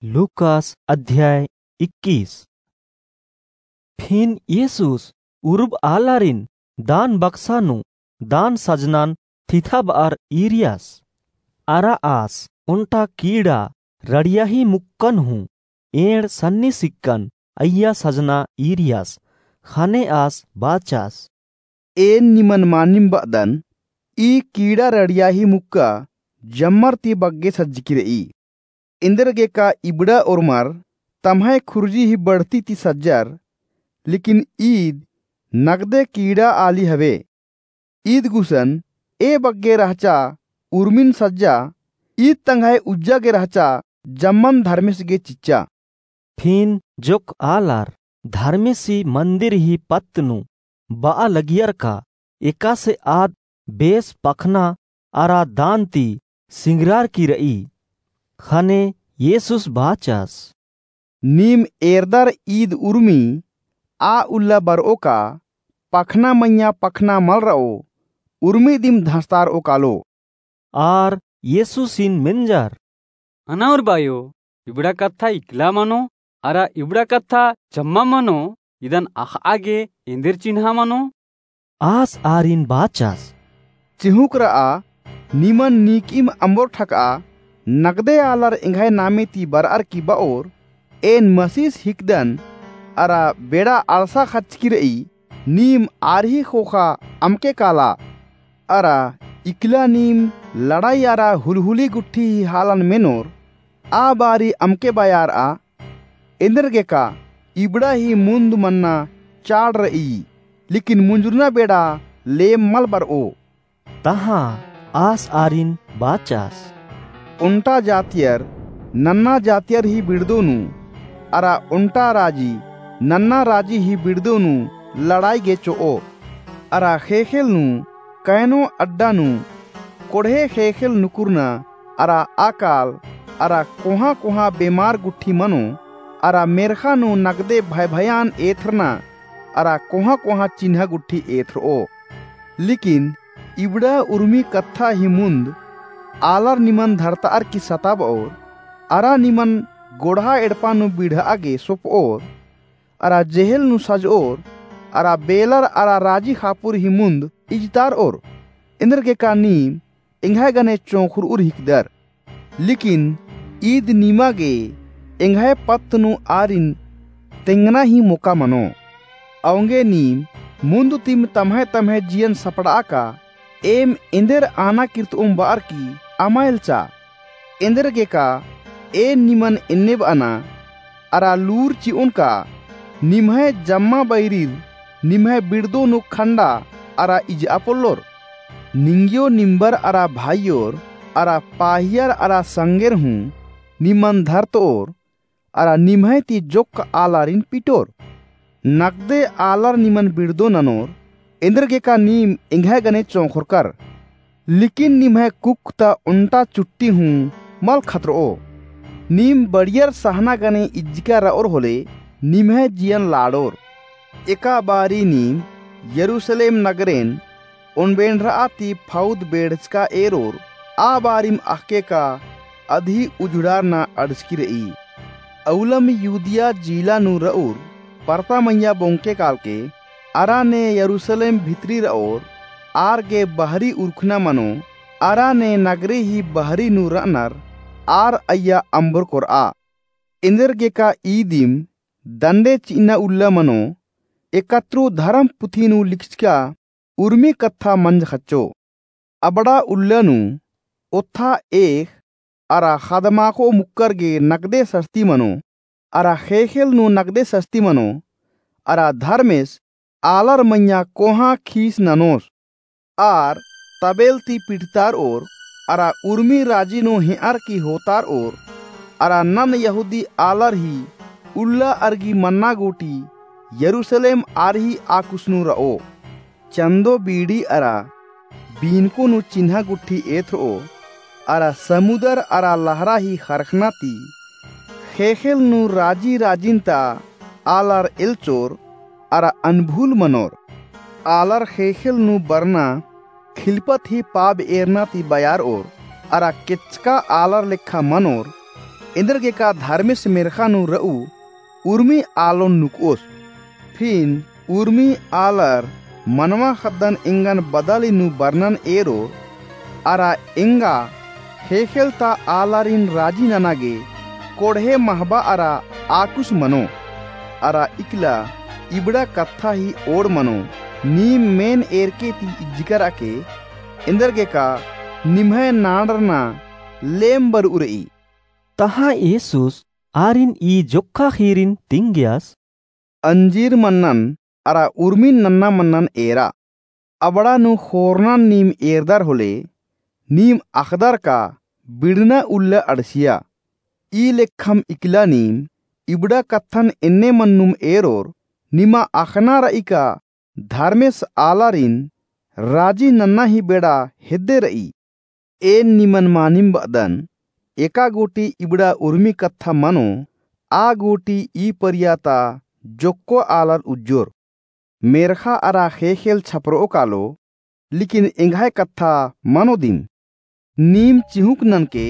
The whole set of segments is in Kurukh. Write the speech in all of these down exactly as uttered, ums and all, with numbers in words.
लूकास अध्याय इक्कीस। फिन येसुस उरुब आलारिन दान बक्सा नू दान सजनान थिथा बअर ईरियस। अरा आस ओन्टा कीड़ा रड़ियाही मुक्कन हूँ एंड़ सन्नी सिक्कन अइय्या सजना ईरियस। ख़ने आस बाचस, एन निमन मानिम बअदन, ई कीड़ा रड़ियाही मुक्का जम्मर ती बग्गे सज्जकी रई। एन्देरगेका इबड़ा ओर्मर तम्है खुर्जी ही बढ़ती ती सज्जर, लेकिन ईद नगदे कीड़ा आली हवे। ईद गुसन ए बग्गे रहचा उर्मिन सज्जा, ईद तंग्है उज्जा गे रहचा जम्मन धर्मेस गे चिच्चा। फिन जोक्क आलर धर्मेसी मन्दिर ही पत्त नू बआ लगियर का एकासे आद बेस पखना अरा दान ती सिंगरारकी रई। ख़ने येसुस बाचस, नीम एरदर ईद उर्मी आ उल्ला बरओ का पखना मइय्याँ पखना मल रओ, उर्मी दिम धसतारओ कालो। आर येसुसिन मेंजर, अना उर बायो, इबड़ा कत्था इकला मनो, अरा इबड़ा कत्था जम्मा मनो, इदन अख़आ गे एन्देर चिन्हा मनो? आस आरिन बाचस, चिहुँक रआ, निमन नीकिम अम्बोर ठकआ, नगदे आलर एंग्है नामे ती बरअर की बओर, एन मसीस हिकदन, अरा बेड़ा आलसा ख़चकी रई, नीम आर ही ख़ोख़ा अमके काला। अरा इकला नीम लड़ाई अरा हुलहुली गुट्ठी ही हालन मेनोर, आ बारी अमके बयारआ। एन्देरगेका इबड़ा ही मुन्द मन्ना चाड़ रई, लेकिन मुंजुरना बेड़ा लेम मल बरओ। तहाँ आस आरिन बाचस, ओन्टा जातियर नन्ना जातियर ही बिड़दो नू, अरा ओन्टा राजी नन्ना राजी ही बिड़दो नू लड़ाई गे चोओ। अरा ख़ेख़ेल नू, कैनो अड्डा नू, कोड़हे ख़ेख़ेल नुकुरना, अरा अकाल, अरा कोहाँ कोहाँ बेमार गुट्ठी मनो, अरा मेर्ख़ा नू नगदे भयभयान एथरना, अरा कोहाँ कोहाँ चिन्हा गुट्ठी एथरओ। लेकिन इबड़ा उर्मी कत्था ही मुन्द आलर निमन धरताअर की सताबओर, अरा निमन गोड़हा एड़पा नू बिड़हआ गे सोपओर, अरा जेहेल नू सजओर, अरा बेलर अरा राजी ख़ापुर ही मुन्द इजतारओर। एन्देरगेका नीम एंग्है गने चोंख़रउर हिकदर। लेकिन ईद निमा गे एंग्है पत्त नू आरिन तेंगना ही मोका मनो। औंगे नीम मुन्द तिम तम्है तम्है जियन सपड़आ का, एम एन्देर आना किर्तओम बअर की अमा एल्चा। एन्देरगेका एन निमन एन्ने बअना, अरा लूर चिओन का निम्है जम्मा बैरिर निम्है बिड़दो नू खंडा अरा इजआ पोल्लोर। निंग्यो निम्बर अरा भाईयोर अरा पाहियर अरा संगेर हूँ निमन धरतओर, अरा निम्है ती जोक्क आलारिन पिटोर। नगदे आलर निमन बिड़दो ननोर, एन्देरगेका नीम एंग्है गने चोंख़ोरकर। लेकिन निम्है कुक्क ता ओन्टा चुट्टी हूँ मल खतरओ। नीम बढ़ियर सहना गने इज्जिका रओर होले निम्है जियन लाड़ोर। एका बारी नीम यरूसलेम नगरेन ओनबेंड़रआ ती फौद बेड़चका एरोर, आ बारिम अख़के का अदही उझुड़ारना अंड़सकी रई। अउलम यूदिया जिला नू रऊर परता मइय्याँ बोंगके कालके, अरा ने यरूसलेम भितरी रओर आर गे बहरी उरखना मनो, अरा ने नगरी ही बहरी नू रअनर आर अइय्या अम्बोर कोरआ। एन्देरगेका ईदिम दंडे चिअना उल्ला मनो, एकतरू धरम पुथी नू लिखचका उर्मी कत्था मंज ख़च्चो। अबड़ा उल्ला नू ओत्था एख़ अरा ख़दमाख़ो मुक्कर गे नगदे सस्ती मनो, अरा ख़ेख़ेल नू नगदे सस्ती मनो, अरा धर्मेस आलर मइय्याँ कोहाँ खीस ननोस। आर तबेल ती पिटतारओर, अरा उर्मी राजी नू हेंअर की होतारओर, अरा नन यहूदी आलर ही उल्ला अरगी मन्ना गूटी यरूसलेम आर ही आकुस नू रओ। चन्दो बीड़ी अरा बीनको नू चिन्हा गुट्ठी एथरओ, अरा समुदर अरा लहरा ही ख़रख़ना ती ख़ेख़ेल नू राजी राजिन ता आलर एल्चोर अरा अनभूल मनोर। आलर ख़ेख़ेल नू बरना ख़िलपत ही पाब एरना ती बयारओर, अरा केचका आलर लेखा मनोर। एन्देरगेका धर्मेस मेर्ख़ा नू र'ऊ उर्मी आलोन नुक'ओस। फिन उर्मी आलर मनवा ख़द्दन एंगन बदाली नू बरनन एरोर, अरा एंगा ख़ेख़ेल ता आलारिन राजी नना गे कोड़हे महबा अरा आकुस मनो। अरा इकला इबड़ा कत्था ही ओड़ मनो, नीम मेन एरके ती इज्जकर'आ के, एन्देरगेका निम्है नाड़रना लेम बर'ऊ र'ई। तहाँ येसुस आरिन ई जोक्खा ख़ीरिन तिंगियस, अंजीर मन्नन अरा उर्मिन नन्ना मन्नन एरा। अबड़ा नू ख़ोरनन नीम एरदर होले, नीम अख़दर का बिड़ना उल्ला अंड़सिया। ई लेखम इकला नीम इबड़ा कत्थन एन्ने मन्नुम एरोर, निमा अख़ना र'ई का धर्मेस आलारिन राजी नन्ना ही बेड़ा हेद्दे र'ई। एन निमन मानिम ब'अदन, एका गूटी इबड़ा उर्मी कत्था मनो, आ गूटी ई परिया ता जोक्को आलर उज्जोर। मेर्ख़ा अरा ख़ेख़ेल छपर'ओ कालो, लेकिन एंग्है कत्था मनो दिम। नीम चिहुंक ननके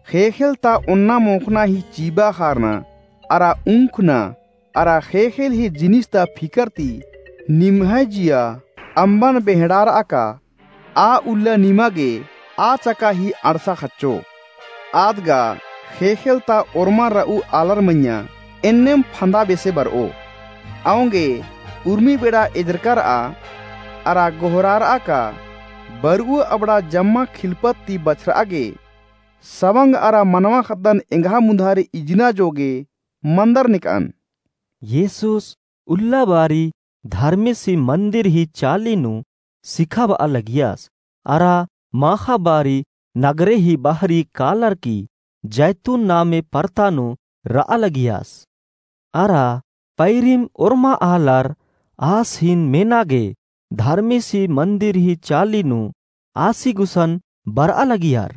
ख़ेख़ेल ता ओन्ना मोख़ना ही चीबा ख़ारना अरा उंखना अरा ख़ेख़ेल ही जिनिस ता फिकर ती निम्है जिया अम्बन बेंहड़ार'आ का, आ उल्ला निमा गे आ चका ही अंड़सा ख़च्चो। आद गा ख़ेख़ेल ता ओर्मा र'ऊ आलर मइय्याँ एन्नेम फंदा बेसे बर'ओ। औंगे उर्मी बेड़ा एजरका र'आ अरा गोहरार'आ का, बर'ऊ अबड़ा जम्मा खिलपत ती बछर'आ गे, सवंग अरा मनवा ख़द्दन एंग्हा मुन्धारे इजना जोगे मन्दर नेक'अन। येसुस उल्ला बारी धर्मेसी मन्दिर ही चाली नू सिखाब'आ लगियस, अरा माख़ा बारी नगरे ही बाहरी कालर की जैतून नामे परता नू र'आ लगियस। अरा पैरिम ओर्मा आलर आस हीन मेना गे धर्मेसी मन्दिर ही चाली नू आसी गुसन बर'आ लगियर।